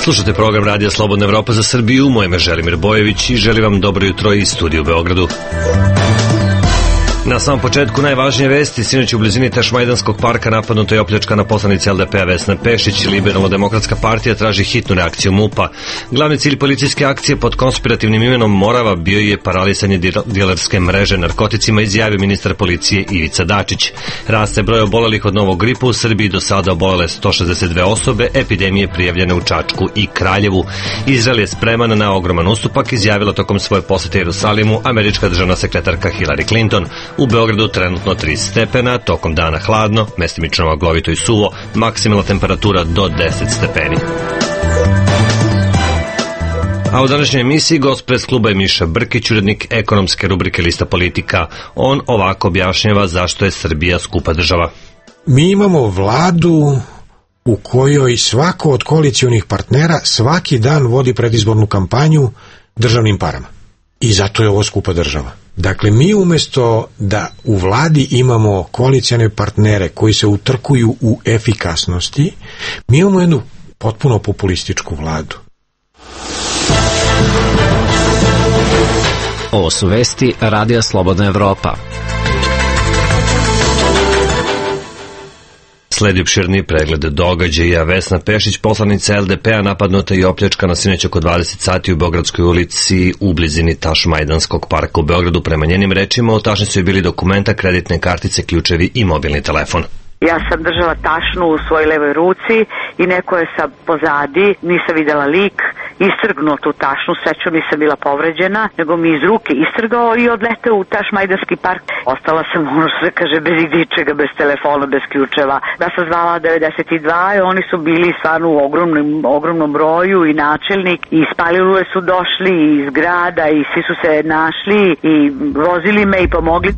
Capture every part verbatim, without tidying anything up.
Slušate program Radija Slobodna Evropa za Srbiju. Moje ime je Želimir Bojević i želim vam dobro jutro iz studija u Beogradu. Na samom početku najvažnije vesti. Sinoć u blizini Tašmajdanskog parka napadnuto je opljačkana poslanica L D P-a Vesna Pešić. Liberalno-demokratska partija traži hitnu reakciju MUP-a. Glavni cilj policijske akcije pod konspirativnim imenom Morava bio je paralisanje dilerske mreže narkoticima, izjavio ministar policije Ivica Dačić. Raste broj obolelih od novog gripa u Srbiji, do sada obolele sto šezdeset dve osobe, epidemije prijavljene u Čačku i Kraljevu. Izrael je spreman na ogroman ustupak, izjavila tokom svoje posete Jerusalimu američka državna sekretarka Hillary Clinton. U Beogradu trenutno tri stepena, tokom dana hladno, mestimično maglovito i suvo, maksimalna temperatura do deset stepeni. A u današnjoj emisiji gost pres kluba je Miša Brkić, urednik ekonomske rubrike Lista politika. On ovako objašnjava zašto je Srbija skupa država. Mi imamo vladu u kojoj svako od koalicionih partnera svaki dan vodi predizbornu kampanju državnim parama. I zato je ovo skupa država. Dakle, mi umjesto da u vladi imamo koalicione partnere koji se utrkuju u efikasnosti, mi imamo jednu potpuno populističku vladu. Ovo su vesti Radija Slobodna Evropa. Sledi opširniji pregled događaja. Vesna Pešić, poslanica L D P-a, napadnuta i opljačkana sinoć oko dvadeset sati u Beogradskoj ulici u blizini Tašmajdanskog parka u Beogradu. Prema njenim rečima, u tašnici su bili dokumenta, kreditne kartice, ključevi i mobilni telefon. Ja sam držala tašnu u svojoj levoj ruci i neko je sa pozadi, nisam videla lik, istrgnuo tu tašnu, srećom nisam bila povređena, nego mi iz ruke istrgao i odleteo u Tašmajdanski park. Ostala sam, ono što se kaže, bez idičega, bez telefona, bez ključeva. Ja sam zvala devedeset dva i oni su bili stvarno u ogromnom, ogromnom broju i načelnik i iz Palilule su došli iz grada i svi su se našli i vozili me i pomogli.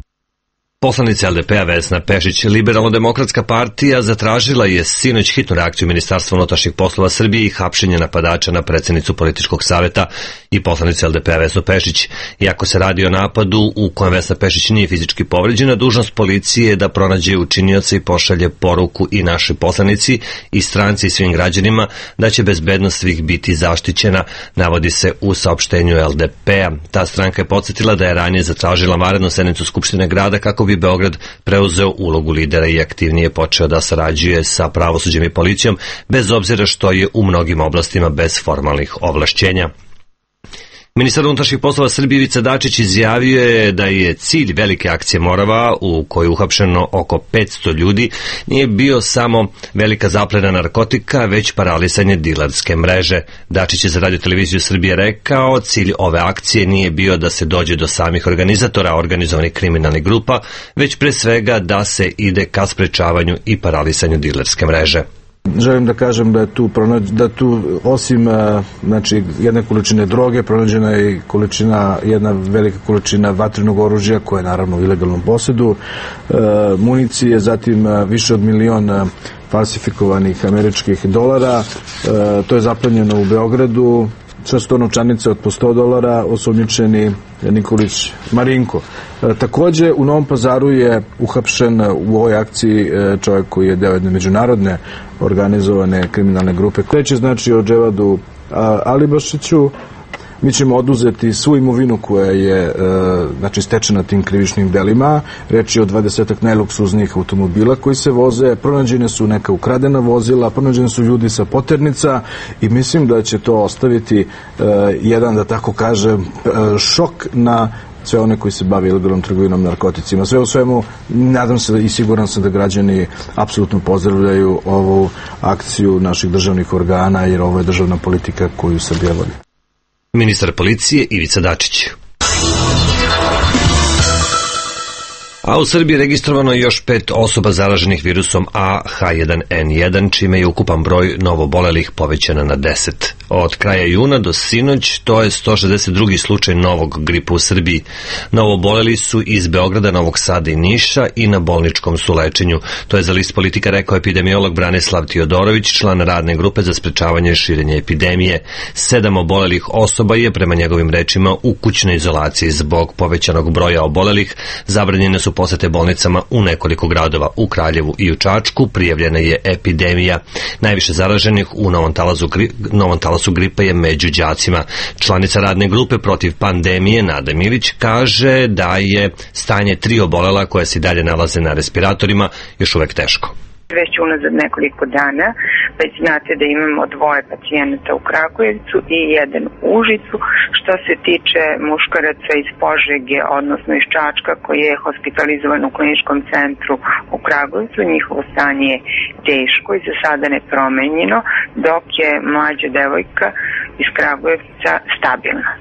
Poslanica L D P-a Vesna Pešić. Liberalno-demokratska partija zatražila je sinoć hitnu reakciju Ministarstva unutrašnjih poslova Srbije i hapšenje napadača na predsjednicu političkog saveta i poslanicu L D P-a Vesnu Pešić. Iako se radi o napadu u kojem Vesna Pešić nije fizički povređena, dužnost policije je da pronađe učinioca i pošalje poruku i našoj poslanici i stranci i svim građanima da će bezbednost svih biti zaštićena, navodi se u saopštenju L D P-a. Ta stranka je podsjetila da je ranije zatražila vanrednu sednicu Skupštine grada kako bi Beograd preuzeo ulogu lidera i aktivnije počeo da sarađuje sa pravosuđem i policijom, bez obzira što je u mnogim oblastima bez formalnih ovlašćenja. Ministar unutrašnjih poslova Srbije Ivica Dačić izjavio je da je cilj velike akcije Morava, u kojoj je uhapšeno oko petsto ljudi, nije bio samo velika zaplena narkotika, već paralisanje dilerske mreže. Dačić je za Radio televiziju Srbije rekao, cilj ove akcije nije bio da se dođe do samih organizatora organizovanih kriminalnih grupa, već pre svega da se ide ka sprečavanju i paralisanju dilerske mreže. Želim da kažem da je tu, da tu osim znači, jedne količine droge pronađena je količina, jedna velika količina vatrenog oružja koje je naravno u ilegalnom posjedu, municije, zatim više od milion falsifikovanih američkih dolara, to je zaplenjeno u Beogradu. Sve su to novčanice od po sto dolara, osumnjičeni Nikolić Marinko. E, takođe, u Novom Pazaru je uhapšen u ovoj akciji e, čovjek koji je deo jedne međunarodne organizovane kriminalne grupe. Kreće znači o Dževadu a, Alibašiću. Mi ćemo oduzeti svu imovinu koja je e, znači, stečena tim krivičnim delima. Reč je o dvadesetak najluksuznijih automobila koji se voze, pronađene su neka ukradena vozila, pronađene su ljudi sa poternica i mislim da će to ostaviti e, jedan, da tako kažem, e, šok na sve one koji se bave ilegalnom trgovinom narkoticima. Sve u svemu, nadam se i siguran sam da građani apsolutno pozdravljaju ovu akciju naših državnih organa, jer ovo je državna politika koju Srbija vodi. Ministar policije Ivica Dačić. A u Srbiji je registrovano još pet osoba zaraženih virusom A H jedan N jedan, čime je ukupan broj novobolelih povećan na deset. Od kraja juna do sinoć to je sto šezdeset drugi slučaj novog gripa u Srbiji. Novoboleli su iz Beograda, Novog Sada i Niša i na bolničkom su lečenju. To je za List politika rekao epidemiolog Branislav Tiodorović, član radne grupe za sprečavanje širenja epidemije. Sedam obolelih osoba je, prema njegovim rečima, u kućnoj izolaciji zbog povećanog broja obolelih. Zabranjene su posete bolnicama u nekoliko gradova. U Kraljevu i u Čačku prijavljena je epidemija. Najviše zaraženih u Novom Talazu, Novom Talazu prenosu gripa je među đacima. Članica radne grupe protiv pandemije Nada Milić kaže da je stanje tri obolela koja se dalje nalaze na respiratorima još uvek teško. Već unazad nekoliko dana, već znate da imamo dvoje pacijenata u Kragujevcu i jedan u Užicu. Što se tiče muškaraca iz Požege, odnosno iz Čačka, koji je hospitalizovan u kliničkom centru u Kragujevcu, njihovo stanje je teško i za sada nepromenjeno, dok je mlađa devojka iz Kragujevca stabilna.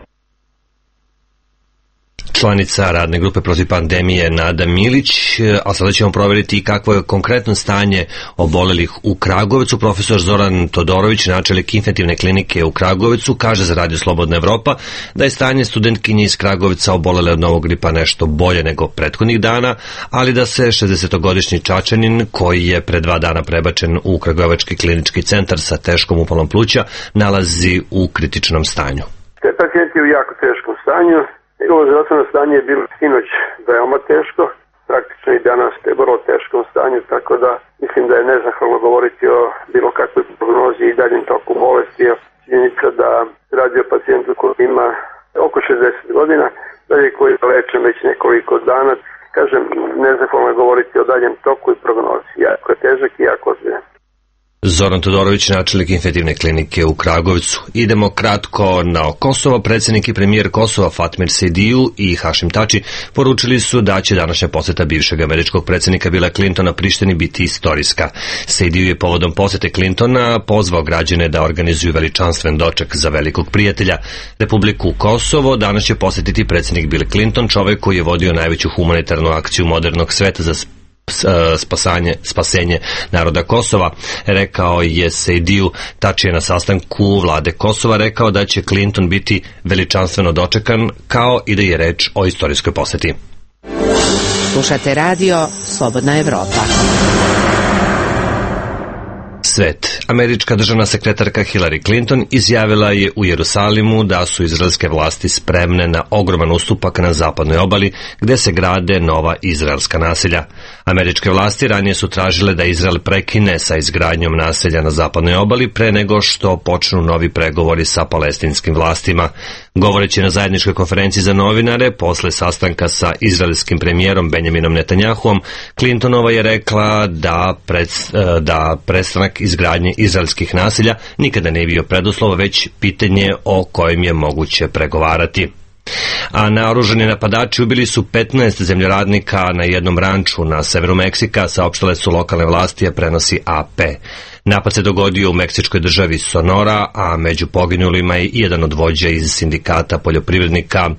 Članica radne grupe protiv pandemije Nada Milić, a sada ćemo provjeriti kakvo je konkretno stanje obolelih u Kragujevcu. Profesor Zoran Todorović, načelnik infektivne klinike u Kragujevcu, kaže za Radio Slobodna Evropa da je stanje studentkinje iz Kragujevca obolele od novog gripa nešto bolje nego prethodnih dana, ali da se šezdesetogodišnji Čačanin, koji je pre dva dana prebačen u Kragujevački klinički centar sa teškom upalom pluća, nalazi u kritičnom stanju. Te pacijent je u jako teškom stanju. Njegovo zdravstveno stanje je bilo sinoć veoma teško, praktično i danas je vrlo teškom stanju, tako da mislim da je nezahvalno govoriti o bilo kakvoj prognozi i daljem toku bolesti. Činjenica da radi o pacijentu koji ima oko šezdeset godina, dalje koji je lečen već nekoliko dana. Kažem, nezahvalno je govoriti o daljem toku i prognozi. Jako je težak i jako ozbiljan. Zoran Todorović, načelnik infektivne klinike u Kragujevcu. Idemo kratko na Kosovo. Predsjednik i premijer Kosova Fatmir Sejdiju i Hašim Tači poručili su da će današnja poseta bivšeg američkog predsjednika Billa Clintona Prištini biti istorijska. Sejdiju je povodom posete Clintona pozvao građane da organizuju veličanstven doček za velikog prijatelja. Republiku Kosovo danas će posjetiti predsjednik Bill Clinton, čovjek koji je vodio najveću humanitarnu akciju modernog sveta za spasanje, spasenje naroda Kosova, rekao je Sejdiju. Tači je na sastanku vlade Kosova rekao da će Clinton biti veličanstveno dočekan, kao i da je reč o istorijskoj poseti. Slušate radio Slobodna Evropa. Svet. Američka državna sekretarka Hillary Clinton izjavila je u Jerusalimu da su izraelske vlasti spremne na ogroman ustupak na zapadnoj obali gde se grade nova izraelska naselja. Američke vlasti ranije su tražile da Izrael prekine sa izgradnjom naselja na zapadnoj obali pre nego što počnu novi pregovori sa palestinskim vlastima. Govoreći na zajedničkoj konferenciji za novinare posle sastanka sa izraelskim premijerom Benjaminom Netanjahuom, Clintonova je rekla da, pred, da prestanak izgradnje izraelskih naselja nikada ne bio preduslov, već pitanje o kojem je moguće pregovarati. A naoružani napadači ubili su petnaest zemljoradnika na jednom ranču na severu Meksika, saopštile su lokalne vlasti, a prenosi A P. Napad se dogodio u meksičkoj državi Sonora, a među poginulima je i jedan od vođa iz sindikata poljoprivrednika,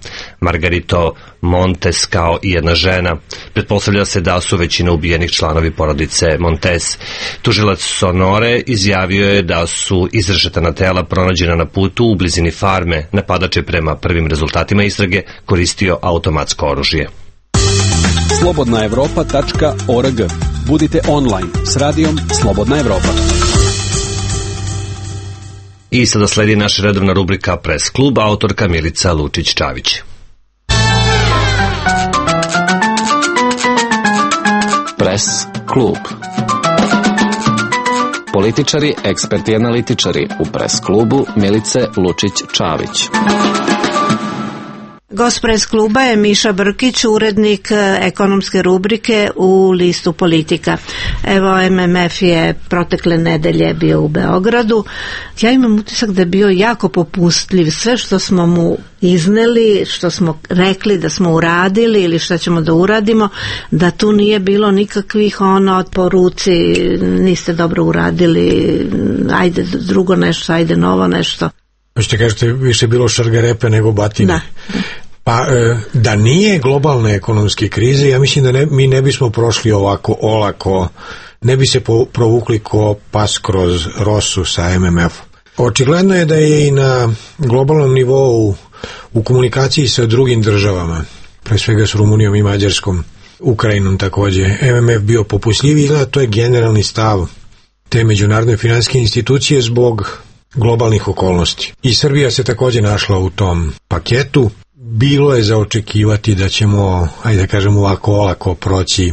Margarito Montes, kao i jedna žena. Pretpostavlja se da su većina ubijenih članovi porodice Montes. Tužilac Sonore izjavio je da su izrešetana tela pronađena na putu u blizini farme. Napadač je prema prvim rezultatima istrage koristio automatsko oružje. slobodna evropa tačka org. Budite online s radijom Slobodna Evropa. I sada sledi naša redovna rubrika Press klub, autorka Milica Lučić-Čavić. Press klub. Političari, eksperti i analitičari u Press klubu Milice Lučić-Čavić. Gost Press kluba je Miša Brkić, urednik ekonomske rubrike u listu Politika. Evo, M M F je protekle nedelje bio u Beogradu. Ja imam utisak da je bio jako popustljiv. Sve što smo mu izneli, što smo rekli da smo uradili ili što ćemo da uradimo, da tu nije bilo nikakvih ono po ruci, niste dobro uradili, ajde drugo nešto, ajde novo nešto. Hoćete kažete, više bilo šargarepe nego batine. Da. Pa da nije globalne ekonomske krize, ja mislim da ne, mi ne bismo prošli ovako olako, ne bi se po, provukli ko pas kroz rosu sa M M F. Očigledno je da je i na globalnom nivou u komunikaciji sa drugim državama, pre svega s Rumunijom i Mađarskom, Ukrajinom takođe, M M F bio popustljiviji, da to je generalni stav te međunarodne finansijske institucije zbog globalnih okolnosti. I Srbija se takođe našla u tom paketu. Bilo je za očekivati da ćemo, ajde da kažem ovako olako proći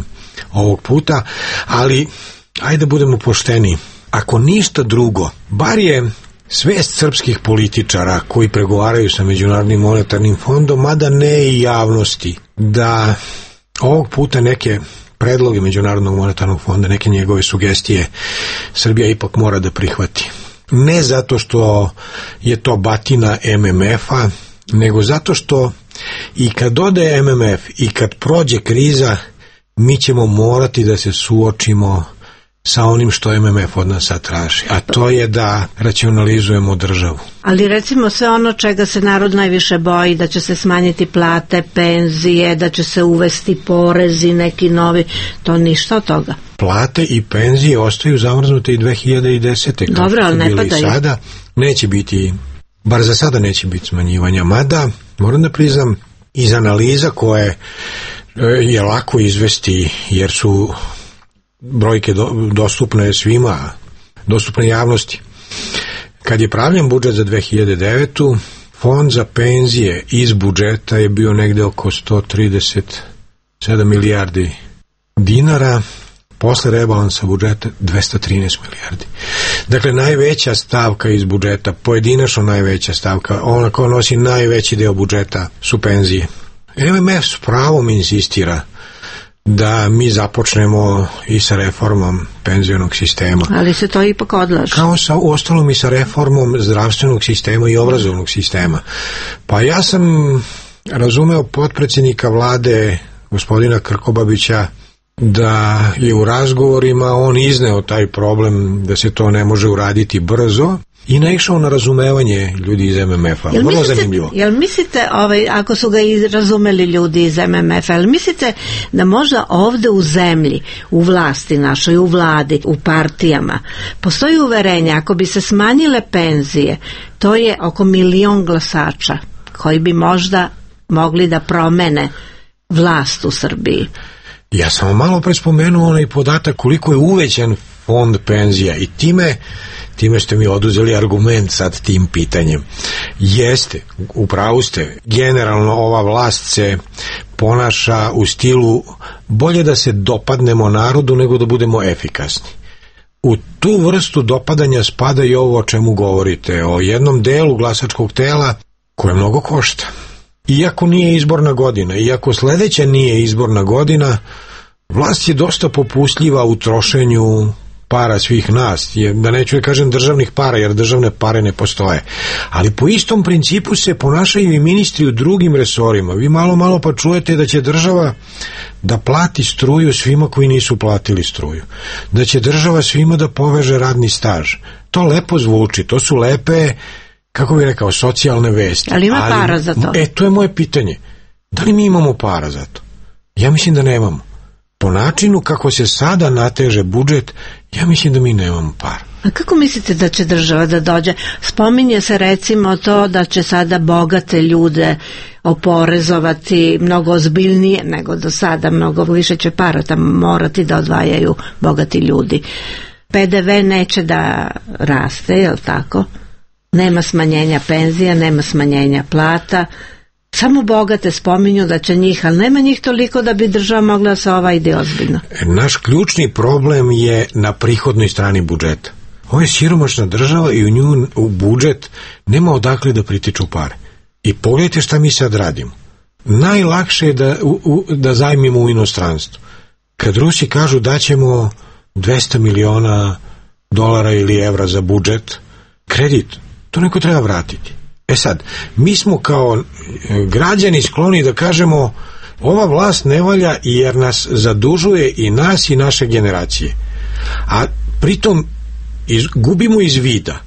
ovog puta, ali ajde da budemo pošteni. Ako ništa drugo, bar je svest srpskih političara koji pregovaraju sa Međunarodnim monetarnim fondom, mada ne i javnosti, da ovog puta neke predloge Međunarodnog monetarnog fonda, neke njegove sugestije Srbija ipak mora da prihvati. Ne zato što je to batina M M F-a, nego zato što i kad ode M M F i kad prođe kriza, mi ćemo morati da se suočimo sa onim što M M F od nas sad traži, a to je da racionalizujemo državu. Ali recimo sve ono čega se narod najviše boji, da će se smanjiti plate, penzije, da će se uvesti porezi neki novi, to ništa od toga. Plate i penzije ostaju zamrznute i dve hiljade desete. Kao Dobro, ali ne padaju. Sada neće biti, bar za sada neće biti smanjivanja, mada moram da priznam iz analiza koje je lako izvesti jer su brojke do, dostupne svima, dostupne javnosti. Kad je pravljen budžet za dve hiljade devetu. fond za penzije iz budžeta je bio negde oko sto trideset sedam milijardi dinara, posle rebalansa budžeta dvesta trinaest milijardi. Dakle, najveća stavka iz budžeta, pojedinačno najveća stavka, ona koja nosi najveći deo budžeta su penzije. M M F s pravom insistira da mi započnemo i sa reformom penzionog sistema. Ali se to ipak odlaže. Kao sa ostalom i sa reformom zdravstvenog sistema i obrazovnog sistema. Pa ja sam razumeo potpredsjednika vlade gospodina Krkobabića da je u razgovorima on izneo taj problem da se to ne može uraditi brzo i naišao na razumevanje ljudi iz M M F-a. Vrlo mislite, zanimljivo. Jel mislite, ovaj, ako su ga i razumeli ljudi iz M M F-a, jel mislite da možda ovde u zemlji, u vlasti našoj, u vladi, u partijama, postoji uverenje, ako bi se smanjile penzije, to je oko milion glasača koji bi možda mogli da promene vlast u Srbiji? Ja sam malo pre spomenuo onaj podatak koliko je uvećan fond penzija i time time ste mi oduzeli argument sad tim pitanjem. Jeste, upravo ste, generalno ova vlast se ponaša u stilu bolje da se dopadnemo narodu nego da budemo efikasni. U tu vrstu dopadanja spada i ovo o čemu govorite, o jednom delu glasačkog tela koje mnogo košta. Iako nije izborna godina, iako sledeća nije izborna godina, vlast je dosta popustljiva u trošenju para svih nas, je, da neću da kažem državnih para, jer državne pare ne postoje. Ali po istom principu se ponašaju i ministri u drugim resorima. Vi malo malo pa čujete da će država da plati struju svima koji nisu platili struju. Da će država svima da poveže radni staž. To lepo zvuči, to su lepe, kako bih rekao, socijalne vesti. Ali ima ali, para za to? E, to je moje pitanje. Da li mi imamo para za to? Ja mislim da nemamo. Po načinu kako se sada nateže budžet, ja mislim da mi nemamo para. A kako mislite da će država da dođe? Spominje se recimo to da će sada bogate ljude oporezovati mnogo ozbiljnije nego do sada, mnogo više će para tamo morati da odvajaju bogati ljudi. P D V neće da raste, je li tako? Nema smanjenja penzija, nema smanjenja plata. Samo bogate spominju da će njih, ali nema njih toliko da bi država mogla da se ova ide ozbiljno. Naš ključni problem je na prihodnoj strani budžeta. Ovo je siromašna država i u nju u budžet nema odakle da pritiču pare. I pogledajte šta mi sad radimo. Najlakše je da, u, u, da zajmimo u inostranstvu. Kad Rusi kažu da ćemo dvesta miliona dolara ili evra za budžet, kredit, to neko treba vratiti. E sad, mi smo kao građani skloni da kažemo ova vlast ne valja jer nas zadužuje i nas i naše generacije. A pritom iz, gubimo iz vida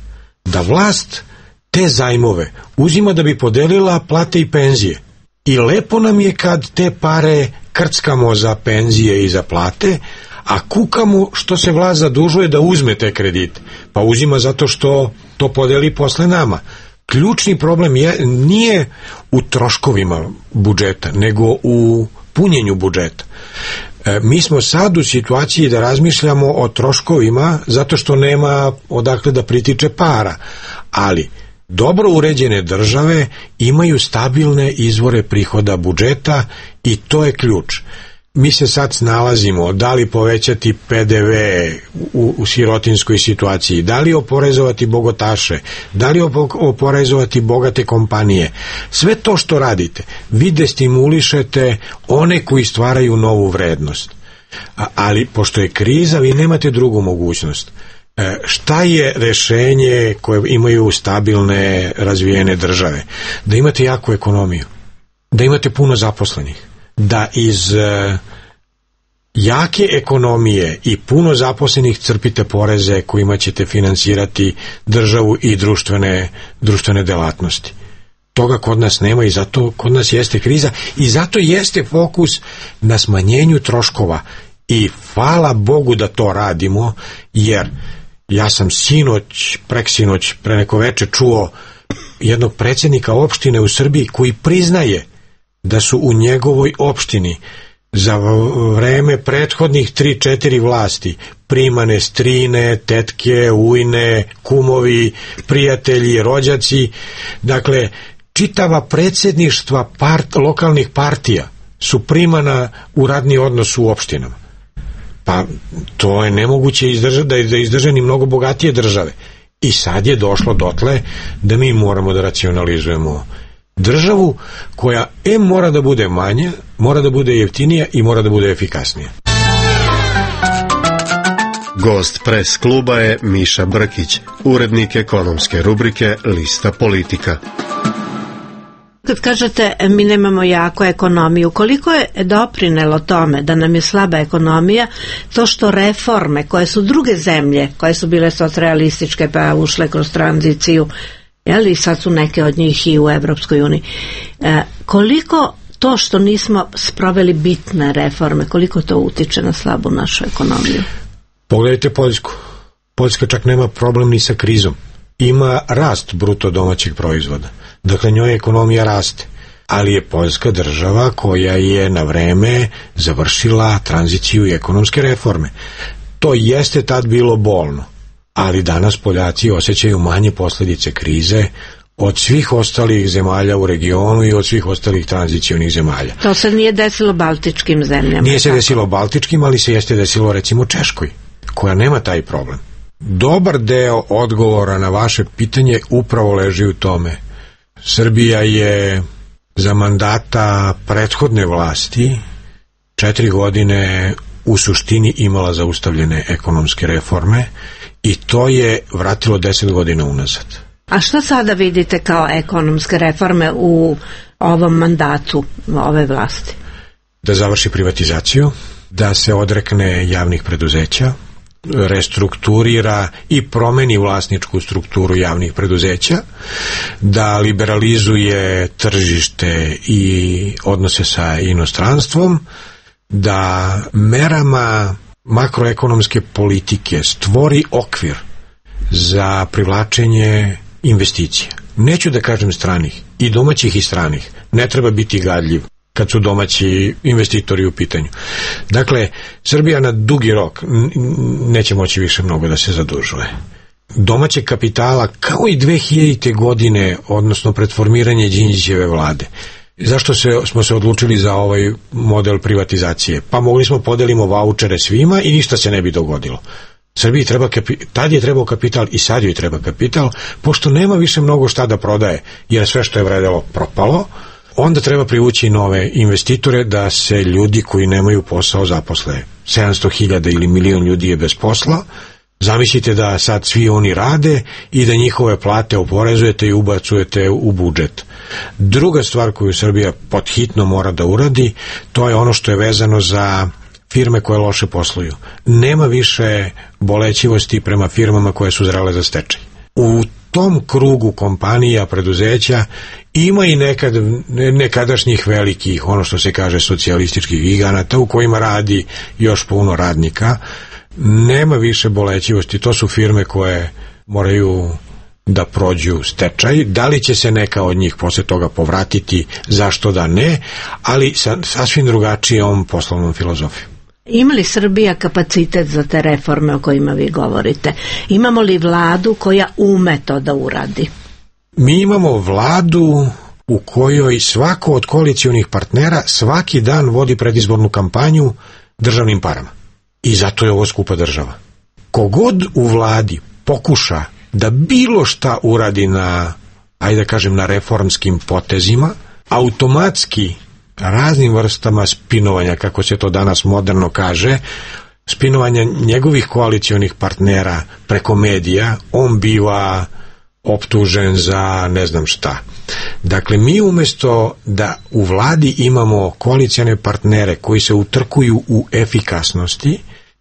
da vlast te zajmove uzima da bi podelila plate i penzije. I lepo nam je kad te pare krckamo za penzije i za plate, a kukamo što se vlast zadužuje da uzme te kredite. Pa uzima zato što to podeli posle nama. Ključni problem je, nije u troškovima budžeta, nego u punjenju budžeta. E, mi smo sad u situaciji da razmišljamo o troškovima zato što nema odakle da pritiče para, ali dobro uređene države imaju stabilne izvore prihoda budžeta i to je ključ. mi se sad snalazimo da li povećati P D V u, u sirotinskoj situaciji, da li oporezovati bogataše, da li oporezovati bogate kompanije. Sve to što radite, vi destimulišete one koji stvaraju novu vrednost. A, ali pošto je kriza, vi nemate drugu mogućnost. E, šta je rešenje koje imaju stabilne, razvijene države? Da imate jaku ekonomiju, da imate puno zaposlenih, da iz e, jake ekonomije i puno zaposlenih crpite poreze kojima ćete finansirati državu i društvene, društvene delatnosti. Toga kod nas nema i zato kod nas jeste kriza i zato jeste fokus na smanjenju troškova i hvala Bogu da to radimo, jer ja sam sinoć, preksinoć, pre neko veče čuo jednog predsjednika opštine u Srbiji koji priznaje da su u njegovoj opštini za vreme prethodnih tri četiri vlasti primane strine, tetke, ujne, kumovi, prijatelji, rođaci. Dakle, čitava predsjedništva part, lokalnih partija su primana u radni odnos u opštinama. Pa to je nemoguće izdržati, da izdrže ni mnogo bogatije države. I sad je došlo dotle da mi moramo da racionalizujemo državu koja em mora da bude manja, mora da bude jeftinija i mora da bude efikasnija. Gost Pres kluba je Miša Brkić, urednik ekonomske rubrike Lista Politika. Kad kažete mi nemamo jaku ekonomiju, koliko je doprinelo tome da nam je slaba ekonomija to što reforme koje su druge zemlje, koje su bile socrealističke pa ušle kroz tranziciju, jeli, sad su neke od njih i u Evropskoj uniji, e, koliko to što nismo sproveli bitne reforme, koliko to utiče na slabu našu ekonomiju? Pogledajte Poljsku. Poljska čak nema problem ni sa krizom. Ima rast bruto domaćeg proizvoda. Dakle, njoj ekonomija raste. Ali je Poljska država koja je na vreme završila tranziciju i ekonomske reforme. To jeste tad bilo bolno. Ali danas Poljaci osjećaju manje posljedice krize od svih ostalih zemalja u regionu i od svih ostalih tranzicionih zemalja. To se nije desilo baltičkim zemljama. Nije se desilo baltičkim, ali se jeste desilo recimo Češkoj, koja nema taj problem. Dobar deo odgovora na vaše pitanje upravo leži u tome. Srbija je za mandata prethodne vlasti četiri godine u suštini imala zaustavljene ekonomske reforme i to je vratilo deset godina unazad. A što sada vidite kao ekonomske reforme u ovom mandatu ove vlasti? Da završi privatizaciju, da se odrekne javnih preduzeća, restrukturira i promeni vlasničku strukturu javnih preduzeća, da liberalizuje tržište i odnose sa inostranstvom, da merama makroekonomske politike stvori okvir za privlačenje investicija. Neću da kažem stranih, i domaćih i stranih. Ne treba biti gadljiv kad su domaći investitori u pitanju. Dakle, Srbija na dugi rok neće moći više mnogo da se zadužuje. Domaćeg kapitala, kao i dve hiljadite godine, odnosno pred formiranje Đinđićeve vlade. Zašto se, smo se odlučili za ovaj model privatizacije? Pa mogli smo podelimo vaučere svima i ništa se ne bi dogodilo. Srbiji treba kapi, tad je trebao kapital i sad joj treba kapital, pošto nema više mnogo šta da prodaje, jer sve što je vredelo propalo, onda treba privući nove investitore da se ljudi koji nemaju posao zaposle. sedamsto hiljada ili milion ljudi je bez posla. Zamislite da sad svi oni rade i da njihove plate oporezujete i ubacujete u budžet. Druga stvar koju Srbija podhitno mora da uradi, to je ono što je vezano za firme koje loše posluju. Nema više bolećivosti prema firmama koje su zrele za stečaj. U tom krugu kompanija, preduzeća ima i nekad, nekadašnjih velikih, ono što se kaže socijalističkih giganata u kojima radi još puno radnika. Nema više bolećivosti, to su firme koje moraju da prođu stečaj. Da li će se neka od njih posle toga povratiti, zašto da ne, ali sa sasvim drugačijom poslovnom filozofijom. Ima li Srbija kapacitet za te reforme o kojima vi govorite? Imamo li vladu koja ume to da uradi? Mi imamo vladu u kojoj svako od koalicionih partnera svaki dan vodi predizbornu kampanju državnim parama. I zato je ovo skupa država. Kogod u vladi pokuša da bilo šta uradi na, ajde da kažem, na reformskim potezima, automatski raznim vrstama spinovanja, kako se to danas moderno kaže, spinovanja njegovih koalicionih partnera preko medija, on biva optužen za ne znam šta. Dakle, mi umjesto da u vladi imamo koalicione partnere koji se utrkuju u efikasnosti,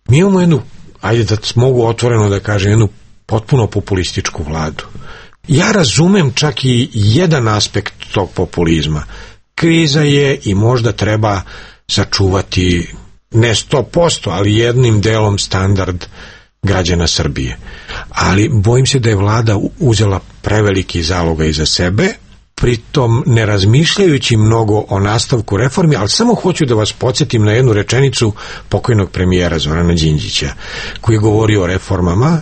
mi imamo jednu, ajde da mogu otvoreno da kažem, jednu potpuno populističku vladu. Ja razumem čak i jedan aspekt tog populizma. Kriza je i možda treba sačuvati ne sto posto, ali jednim delom standard građana Srbije. Ali bojim se da je vlada uzela preveliki zaloga iza sebe, pritom ne razmišljajući mnogo o nastavku reformi, ali samo hoću da vas podsjetim na jednu rečenicu pokojnog premijera Zorana Đinđića, koji je govorio o reformama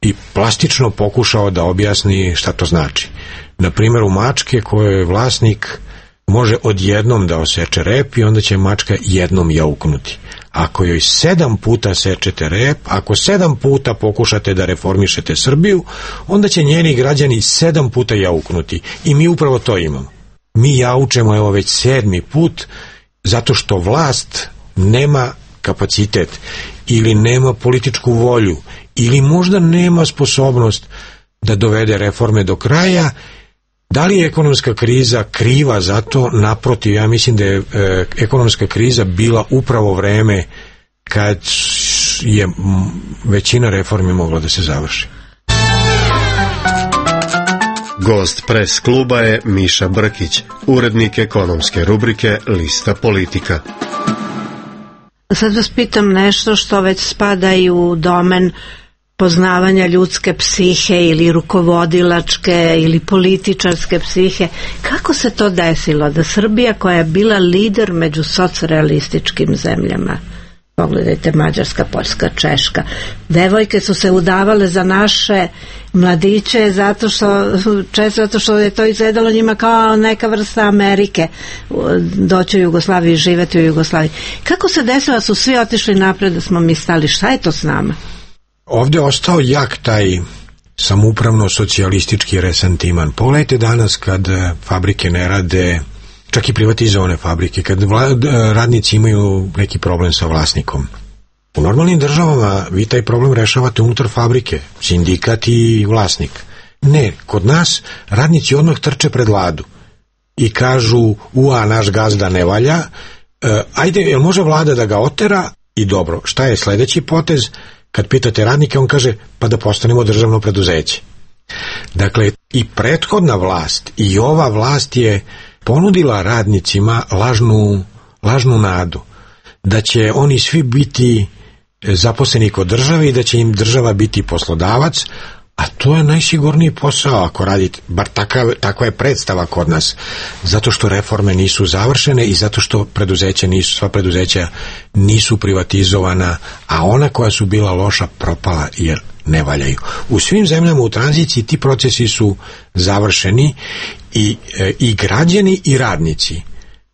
i plastično pokušao da objasni šta to znači. Na primjer, u mačke kojoj je vlasnik može odjednom da oseče rep i onda će mačka jednom jauknuti. Ako joj sedam puta sečete rep, ako sedam puta pokušate da reformišete Srbiju, onda će njeni građani sedam puta jauknuti. I mi upravo to imamo. Mi jaučemo evo već sedmi put zato što vlast nema kapacitet ili nema političku volju ili možda nema sposobnost da dovede reforme do kraja. Da li je ekonomska kriza kriva za to? Naprotiv, ja mislim da je e, ekonomska kriza bila upravo vreme kad je m, većina reformi mogla da se završi. Gost Pres kluba je Miša Brkić, urednik ekonomske rubrike Lista politika. Sad vas pitam nešto što već spada i u domen poznavanja ljudske psihe ili rukovodilačke ili političarske psihe. Kako se to desilo da Srbija, koja je bila lider među socrealističkim zemljama, pogledajte Mađarska, Poljska, Češka, devojke su se udavale za naše mladiće zato što, često zato što je to izgledalo njima kao neka vrsta Amerike, doći u Jugoslaviju i živeti u Jugoslaviji. Kako se desilo da su svi otišli napred, da smo mi stali? Šta je to s nama? Ovdje je ostao jak taj samoupravno socijalistički resentiman. Pogledajte danas kad fabrike ne rade, čak i privatizovane fabrike, kad radnici imaju neki problem sa vlasnikom. U normalnim državama vi taj problem rešavate unutar fabrike, sindikat i vlasnik. Ne, kod nas radnici odmah trče pred vladu i kažu, ua, naš gazda ne valja, e, ajde, jel može vlada da ga otera? I dobro, šta je sljedeći potez? Kad pitate radnike, on kaže, pa da postanemo državno preduzeće. Dakle, i prethodna vlast i ova vlast je ponudila radnicima lažnu, lažnu nadu da će oni svi biti zaposleni kod države i da će im država biti poslodavac, a to je najsigurniji posao ako radite, bar takav, takva je predstava kod nas, zato što reforme nisu završene i zato što preduzeća nisu, sva preduzeća nisu privatizovana, a ona koja su bila loša propala jer ne valjaju. U svim zemljama u tranziciji ti procesi su završeni i, e, i građani i radnici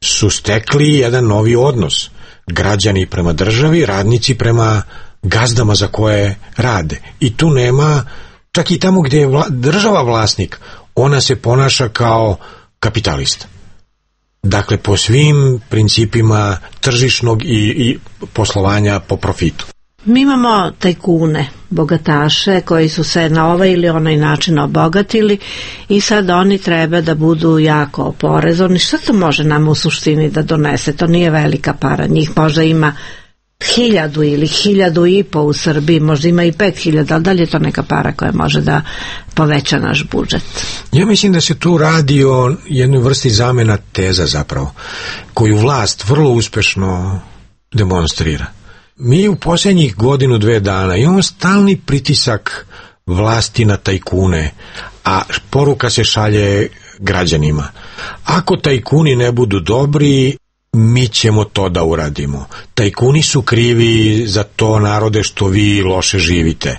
su stekli jedan novi odnos. Građani prema državi, radnici prema gazdama za koje rade. I tu nema, čak i tamo gdje je vla, država vlasnik, ona se ponaša kao kapitalista. Dakle, po svim principima tržišnog i, i poslovanja po profitu. Mi imamo tajkune, bogataše koji su se na ovaj ili onaj način obogatili i sad oni treba da budu jako oporezovani. Šta to može nam u suštini da donese? To nije velika para. Njih možda ima hiljadu ili hiljadu i po u Srbiji, možda ima i pet hiljada, ali da li je to neka para koja može da poveća naš budžet? Ja mislim da se tu radi o jednoj vrsti zamena teza zapravo, koju vlast vrlo uspešno demonstrira. Mi u posljednjih godinu, dve dana imamo stalni pritisak vlasti na tajkune, a poruka se šalje građanima. Ako tajkuni ne budu dobri, mi ćemo to da uradimo. Tajkuni su krivi za to, narode, što vi loše živite.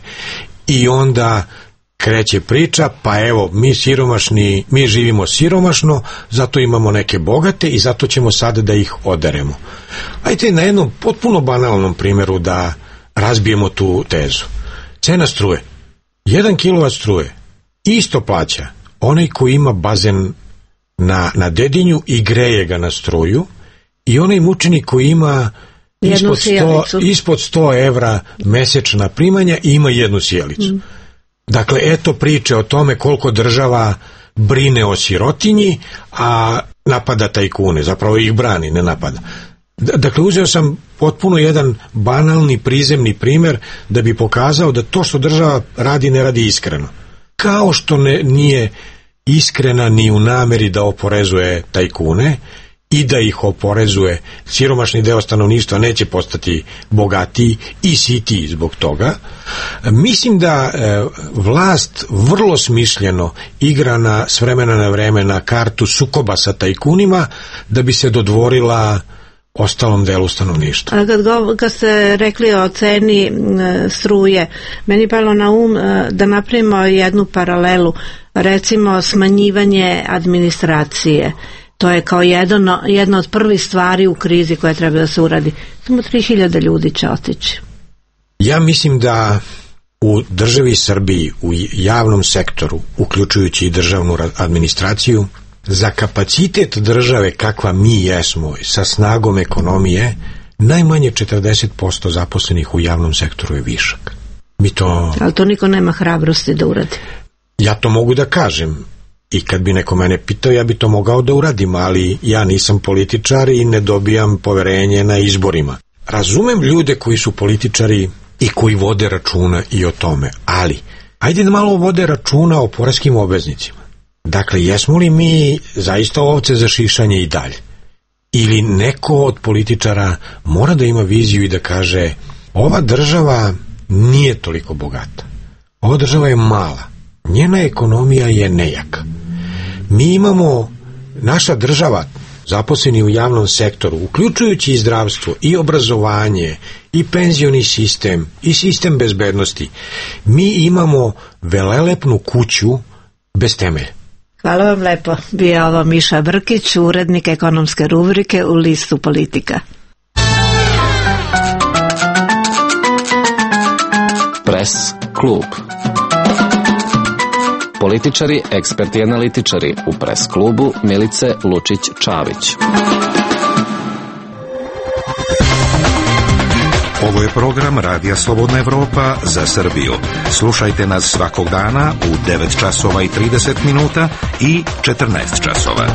I onda kreće priča, pa evo, mi siromašni, mi živimo siromašno, zato imamo neke bogate i zato ćemo sada da ih oderemo. Ajde na jednom potpuno banalnom primjeru da razbijemo tu tezu. Cena struje. Jedan kilovat struje isto plaća onaj koji ima bazen na, na Dedinju i greje ga na struju i onaj mučenik koji ima ispod sto, ispod sto evra mesečna primanja i ima jednu sjelicu. Mm. Dakle, eto priče o tome koliko država brine o sirotinji, a napada tajkune, zapravo ih brani, ne napada. Dakle, uzeo sam potpuno jedan banalni, prizemni primjer da bi pokazao da to što država radi ne radi iskreno. Kao što ne, nije iskrena ni u nameri da oporezuje tajkune i da ih oporezuje, siromašni deo stanovništva neće postati bogatiji i sitiji zbog toga. Mislim da e, vlast vrlo smišljeno igra na, s vremena na vreme na kartu sukoba sa tajkunima da bi se dodvorila ostalom delu stanovništva. A kad, go, kad ste rekli o ceni e, struje, meni palo na um e, da napravimo jednu paralelu, recimo smanjivanje administracije. To je kao jedno, jedna od prvih stvari u krizi koja treba da se uradi. Samo tri hiljade ljudi će otići. Ja mislim da u državi Srbiji, u javnom sektoru, uključujući i državnu administraciju, za kapacitet države kakva mi jesmo, sa snagom ekonomije, najmanje četrdeset posto zaposlenih u javnom sektoru je višak. Mi to... Ali to niko nema hrabrosti da uradi. Ja to mogu da kažem. I kad bi neko mene pitao, ja bi to mogao da uradim, ali ja nisam političar i ne dobijam poverenje na izborima. Razumem ljude koji su političari i koji vode računa i o tome, ali ajde da malo vode računa o poreskim obveznicima. Dakle, jesmo li mi zaista ovce za šišanje i dalje? Ili neko od političara mora da ima viziju i da kaže, ova država nije toliko bogata, ova država je mala, njena ekonomija je nejaka. Mi imamo, naša država, zaposleni u javnom sektoru, uključujući i zdravstvo, i obrazovanje, i penzioni sistem, i sistem bezbednosti, mi imamo velelepnu kuću bez temelja. Hvala vam lepo. Bio ovo Miša Brkić, urednik ekonomske rubrike u listu Politika. Pres klub. Političari, eksperti i analitičari u Pres klubu Milice Lučić-Čavić. Ovo je program Radija Slobodna Evropa za Srbiju. Slušajte nas svakog dana u devet časova i trideset minuta i četrnaest časova.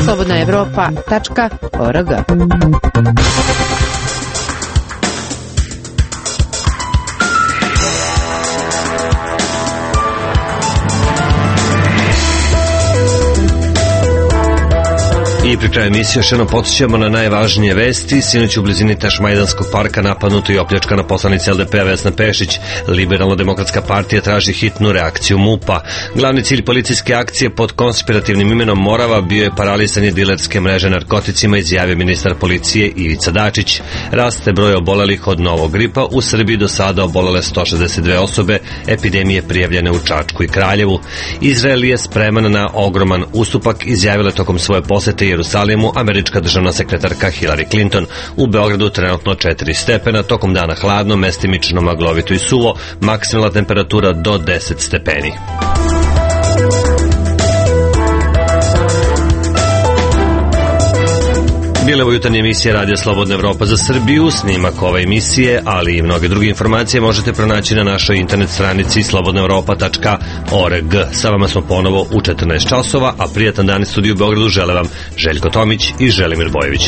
slobodna evropa tačka org. I pri kraju emisije još jednom podsjećamo na najvažnije vesti. Sinoć u blizini Tašmajdanskog parka napadnuto i opljačkana poslanica el de pe Vesna Pešić. Liberalno-demokratska partija traži hitnu reakciju MUP-a. Glavni cilj policijske akcije pod konspirativnim imenom Morava bio je paralisanje dilerske mreže narkoticima, izjavio ministar policije Ivica Dačić. Raste broj obolelih od novog gripa. U Srbiji do sada obolele sto šezdeset dve osobe, epidemije prijavljene u Čačku i Kraljevu. Izrael je spreman na ogroman ustupak, izjavila tokom svoje posete Jerusalimu američka državna sekretarka Hillary Clinton. U Beogradu trenutno četiri stepena, tokom dana hladno, mestimično maglovito i suvo, maksimalna temperatura do deset stepeni. Bile ovo jutarnje emisije Radija Slobodna Evropa za Srbiju. Snimak ove emisije, ali i mnoge druge informacije možete pronaći na našoj internet stranici slobodna evropa tačka org. Sa vama smo ponovo u četrnaest časova, a prijatan dan iz studiju u Beogradu žele vam Željko Tomić i Želimir Bojević.